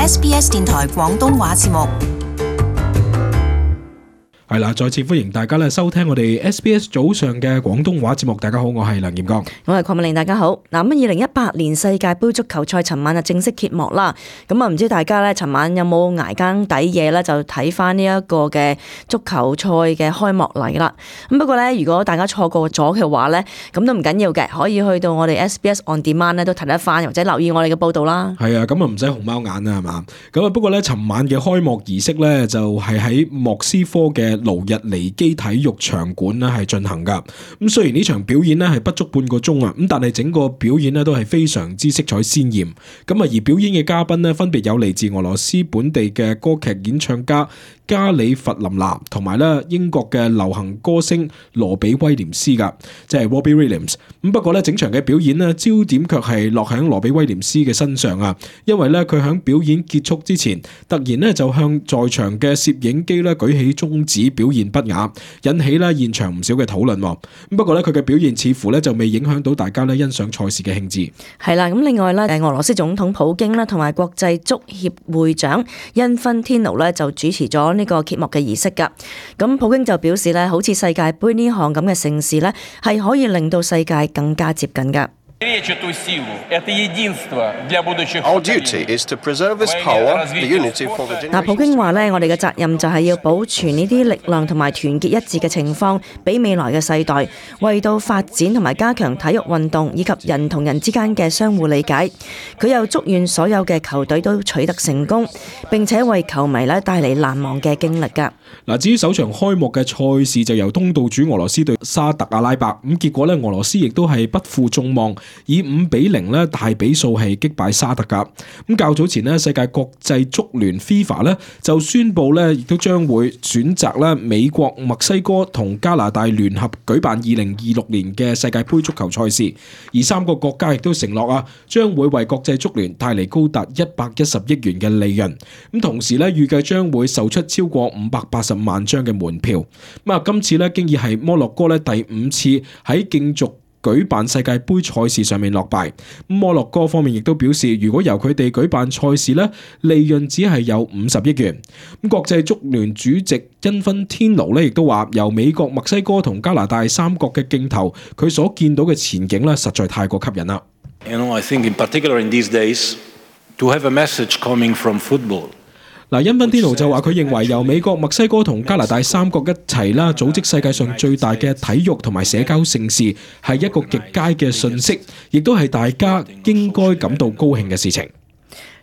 SBS 電台廣東話節目。係啦，再次歡迎大家咧收聽我哋 SBS 早上嘅廣東話節目。大家好，我係梁炎剛，我係鄺美玲。大家好。嗱，咁2018年世界盃足球賽尋晚就正式揭幕啦。咁啊，唔知大家咧尋晚有冇捱更抵夜咧，就睇翻呢一個嘅足球賽嘅開幕禮啦。咁不過咧，如果大家錯過咗嘅話咧，咁都唔緊要嘅，可以去到我哋 SBS On Demand 咧都睇得翻，或者留意我哋嘅報道啦。係啊，咁啊唔使熊貓眼啊，係嘛？咁啊不過咧，尋晚嘅開幕儀式咧就係喺莫斯科嘅盧日尼基體育場館咧係進行噶。咁雖然呢場表演咧係不足半個鐘啊，咁但係整個表演咧都係非常之色彩鮮豔。咁啊而表演嘅嘉賓咧分別有嚟自俄羅斯本地嘅歌劇演唱家加里弗林娜，同埋咧英國嘅流行歌星羅比威廉斯噶，即係 Robbie Williams。咁不過咧整場嘅表演咧焦點卻係落喺羅比威廉斯嘅身上啊，因為咧佢喺表演結束之前，突然咧就向在場嘅攝影機咧舉起中指，表現不雅，引起咧現場唔少嘅討論。咁不過咧佢嘅表現似乎咧就未影響到大家咧欣賞賽事嘅興致。係啦，咁另外咧俄羅斯總統普京啦，同埋國際足協會長因芬天奴咧就主持咗呢個揭幕嘅儀式噶。咁普京就表示咧，好似世界盃呢項咁嘅盛事咧，係可以令到世界更加接近噶。Our duty is to preserve this power, the unity for the generation. 普京話咧，我哋嘅責任就係要保存呢啲力量同埋團結一致嘅情況，俾未來嘅世代，為到發展同埋加強體育運動以及人同人之間嘅相互理解。佢又祝願所有嘅球隊都取得成功，並且為球迷咧帶嚟難忘嘅經歷噶。嗱，至於首場開幕嘅賽事就由東道主俄羅斯對沙特阿拉伯，咁結果咧俄羅斯亦都係不負眾望，以5-0咧大比數係擊敗沙特噶。咁較早前咧世界國際足聯 FIFA 咧就宣布咧亦都將會選擇咧美國、墨西哥同加拿大聯合舉辦2026年嘅世界盃足球賽事，而3個國家亦都承諾啊將會為國際足聯帶嚟高達110億元嘅利潤。咁同時咧預計將會售出超過580萬張嘅門票。咁啊今次咧經已係摩洛哥咧第5次喺競逐舉辦世界盃賽事上面落敗。摩洛哥方面亦都表示，如果由佢哋舉辦賽事咧，利潤只係有50億元。咁國際足聯主席因芬天奴咧亦都話，由美國、墨西哥同加拿大3國嘅競投，佢所見到嘅前景咧實在太過吸引啦。I think in particular in these days to have a message coming from football。因芬天奴就話佢認為由美國、墨西哥同加拿大3國一齊啦，組織世界上最大嘅體育同埋社交盛事，係一個極佳嘅訊息，亦都係大家應該感到高興嘅事情。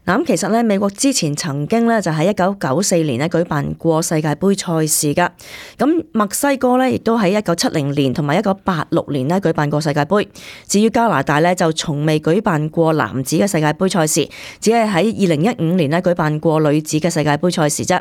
咁其實咧，美國之前曾經咧就喺1994年咧舉辦過世界盃賽事噶。咁墨西哥咧亦都喺1970年同埋1986年咧舉辦過世界盃。至於加拿大咧就從未舉辦過男子嘅世界盃賽事，只係喺2015年咧舉辦過女子嘅世界盃賽事啫。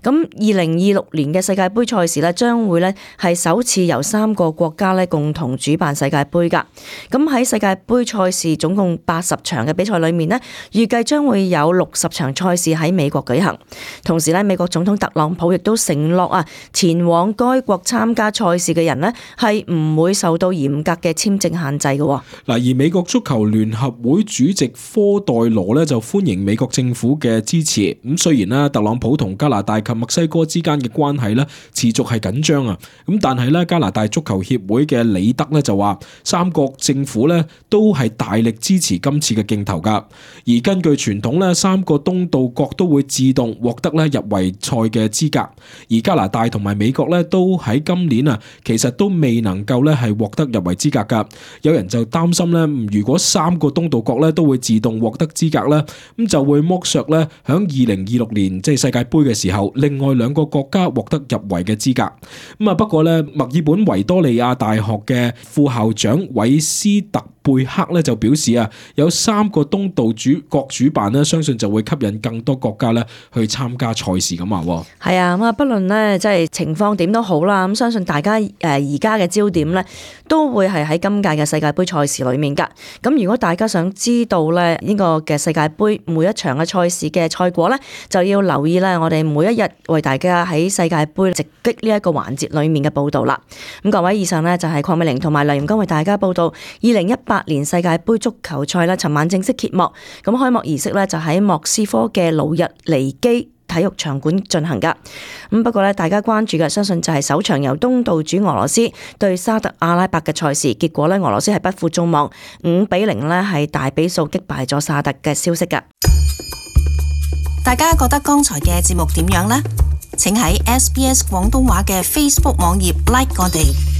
咁2026年嘅世界盃賽事咧將會咧係首次由3個國家咧共同主辦世界盃噶。咁喺世界盃賽事總共80場嘅比賽裏面咧，預計將會有60場賽事喺美國舉行。同時咧，美國總統特朗普亦都承諾前往該國參加賽事嘅人咧係唔會受到嚴格嘅簽證限制嘅。而美國足球聯合會主席科代羅咧就歡迎美國政府嘅支持。咁雖然咧特朗普同加拿大及墨西哥之間嘅關係咧持續係緊張啊，咁但係咧加拿大足球協會嘅李德咧就話3國政府咧都係大力支持今次嘅競投噶。而根據傳統咧3個東道國都會自動獲得咧入圍賽嘅資格，而加拿大同埋美國咧都喺今年其實都未能夠咧係獲得入圍資格噶。有人就擔心咧，如果3個東道國咧都會自動獲得資格咧，咁就會剝削咧響2026年即係世界盃嘅時候，另外2個國家獲得入圍嘅資格。不過咧，墨爾本維多利亞大學嘅副校長韋斯特貝克咧就表示有3個東道國主辦咧，相信就會吸引更多國家咧去參加賽事咁話。係啊，不論咧即係情況點都好啦，咁相信大家而家嘅焦點咧都會係喺今屆嘅世界盃賽事裏面噶。咁如果大家想知道咧呢個嘅世界盃每一場嘅賽事嘅賽果咧，就要留意咧我哋每一日為大家喺世界盃直擊呢一個環節裏面嘅報道啦。咁各位，以上呢就係鄺美玲同埋梁炎剛為大家報道2018年世界盃足球賽啦，尋晚正式揭幕。咁開幕儀式咧咧就喺莫斯科嘅魯日尼基體育場館進行㗎。咁不過咧，大家關注嘅相信就係首場由東道主俄羅斯對沙特阿拉伯嘅賽事，結果咧俄羅斯係不負眾望5-0咧係大比數擊敗咗沙特嘅消息㗎。大家覺得剛才嘅節目點樣呢？請喺SBS 廣東話嘅 Facebook 網頁 like 我哋。